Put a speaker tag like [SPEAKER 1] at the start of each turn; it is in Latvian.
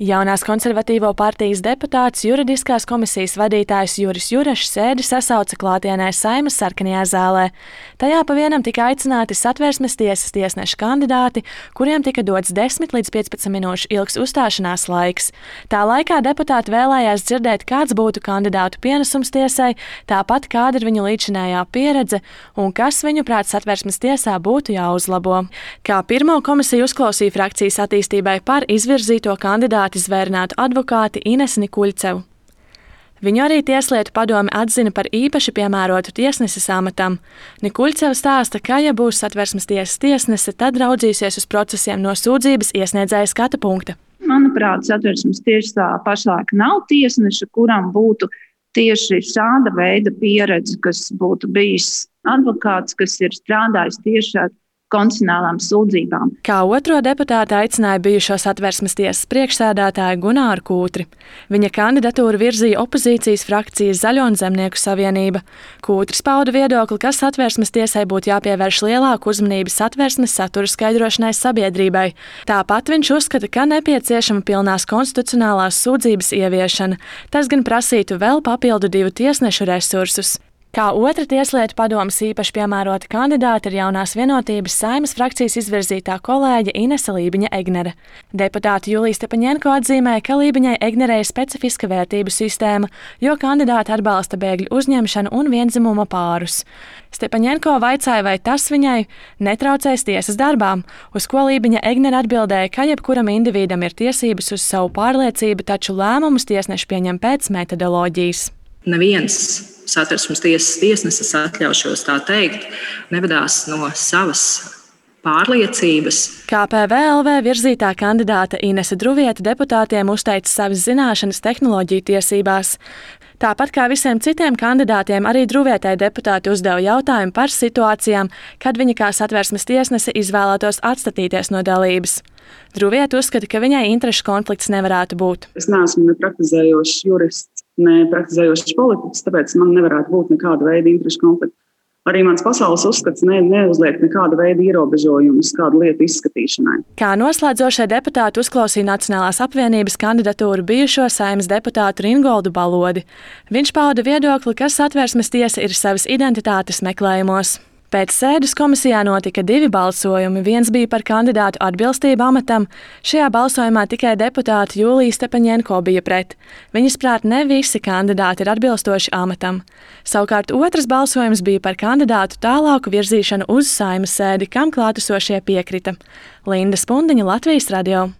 [SPEAKER 1] Jaunās konservatīvo partijas deputāts juridiskās komisijas vadītājs Juris Jurašs sēdi sasauca klātienē Saeimas sarkanajā zālē. Tajā pa vienam tika aicināti Satversmes tiesas tiesneša kandidāti, kuriem tika dots 10 līdz 15 minūšu ilgs uzstāšanās laiks. Tā laikā deputāti vēlējās dzirdēt, kāds būtu kandidātu pienesums tiesai, tāpat kāda ir viņu līdzinējā pieredze un kas viņuprāt Satversmes tiesā būtu jāuzlabo. Kā pirmo komisiju uzklausīja frakcijas attīstībai par izvirzīto kandidātu zvērinātu advokāti Inesi Nikuļcevu. Viņu arī Tieslietu padome atzina par īpaši piemērotu tiesneses amatam. Nikuļceva stāsta, ka, ja būs Satversmes tiesas tiesnese, tad raudzīsies uz procesiem no sūdzības iesniedzēja skata punkta.
[SPEAKER 2] Manuprāt, Satversmes tiesā pašlaik nav tiesneša, kuram būtu tieši šāda veida pieredze, kas būtu bijis advokāts, kas ir strādājis tieši ar konstitucionālām sūdzībām.
[SPEAKER 1] Kā otro deputātu aicināja bijušo Satversmes tiesas priekšsēdētāju Gunāru Kūtri. Viņa kandidatūru virzīja opozīcijas frakcijas Zaļo un Zemnieku savienība. Kūtris pauda viedokli, ka Satversmes tiesai būtu jāpievērš lielāku uzmanību Satversmes satura skaidrošanai sabiedrībai. Tāpat viņš uzskata, ka nepieciešama pilnās konstitucionālās sūdzības ieviešana. Tas gan prasītu vēl papildu 2 tiesnešu resursus. Kā otra Tieslietu padomes īpaši piemērota kandidāte ir Jaunās vienotības Saeimas frakcijas izvirzītā kolēģe Inese Lībiņa-Egnere. Deputāte Julija Stepaņenko atzīmēja, ka Lībiņai-Egnerei ir specifiska vērtību sistēma, jo kandidāte atbalsta bēgļu uzņemšanu un vienzimuma pārus. Stepaņenko vaicāja, vai tas viņai netraucēs tiesas darbām, uz ko Lībiņa-Egnere atbildēja, ka jebkuram individam ir tiesības uz savu pārliecību, taču lēmumus tiesneši pieņem pēc metodoloģijas.
[SPEAKER 3] Neviens Satversmes tiesas tiesnesis, atļaušos tā teikt, nevadās no savas pārliecības.
[SPEAKER 1] Kā PVLV virzītā kandidāte Inese Druviete deputātiem uzteica savas zināšanas tehnoloģiju tiesībās. Tāpat kā visiem citiem kandidātiem, arī Druvietei deputāti uzdeva jautājumu par situācijām, kad viņa kā Satversmes tiesnese izvēlētos atstatīties no dalības. Druviete uzskata, ka viņai interešu konflikts nevarētu būt.
[SPEAKER 4] Es neesmu ne praktizējošs jurists, ne praktizējošs politiķis, tāpēc man nevarētu būt nekāda veida interešu konflikta. Arī mans pasaules uzskats neuzliek nekāda veida ierobežojumus kādu lietu izskatīšanai.
[SPEAKER 1] Kā noslēdzošie deputāti uzklausīja Nacionālās apvienības kandidatūru bijušo Saeimas deputātu Ringoldu Balodi. Viņš pauda viedokli, ka Satversmes tiesa ir savas identitātes meklējumos. Pēc sēdes komisijā notika 2 balsojumi. Viens bija par kandidātu atbilstību amatam. Šajā balsojumā tikai deputāte Julija Stepaņenko bija pret. Viņas prāt, ne visi kandidāti ir atbilstoši amatam. Savukārt otrs balsojums bija par kandidātu tālāku virzīšanu uz Saeimas sēdi, kam klātesošie piekrita. Linda Spundiņa, Latvijas radio.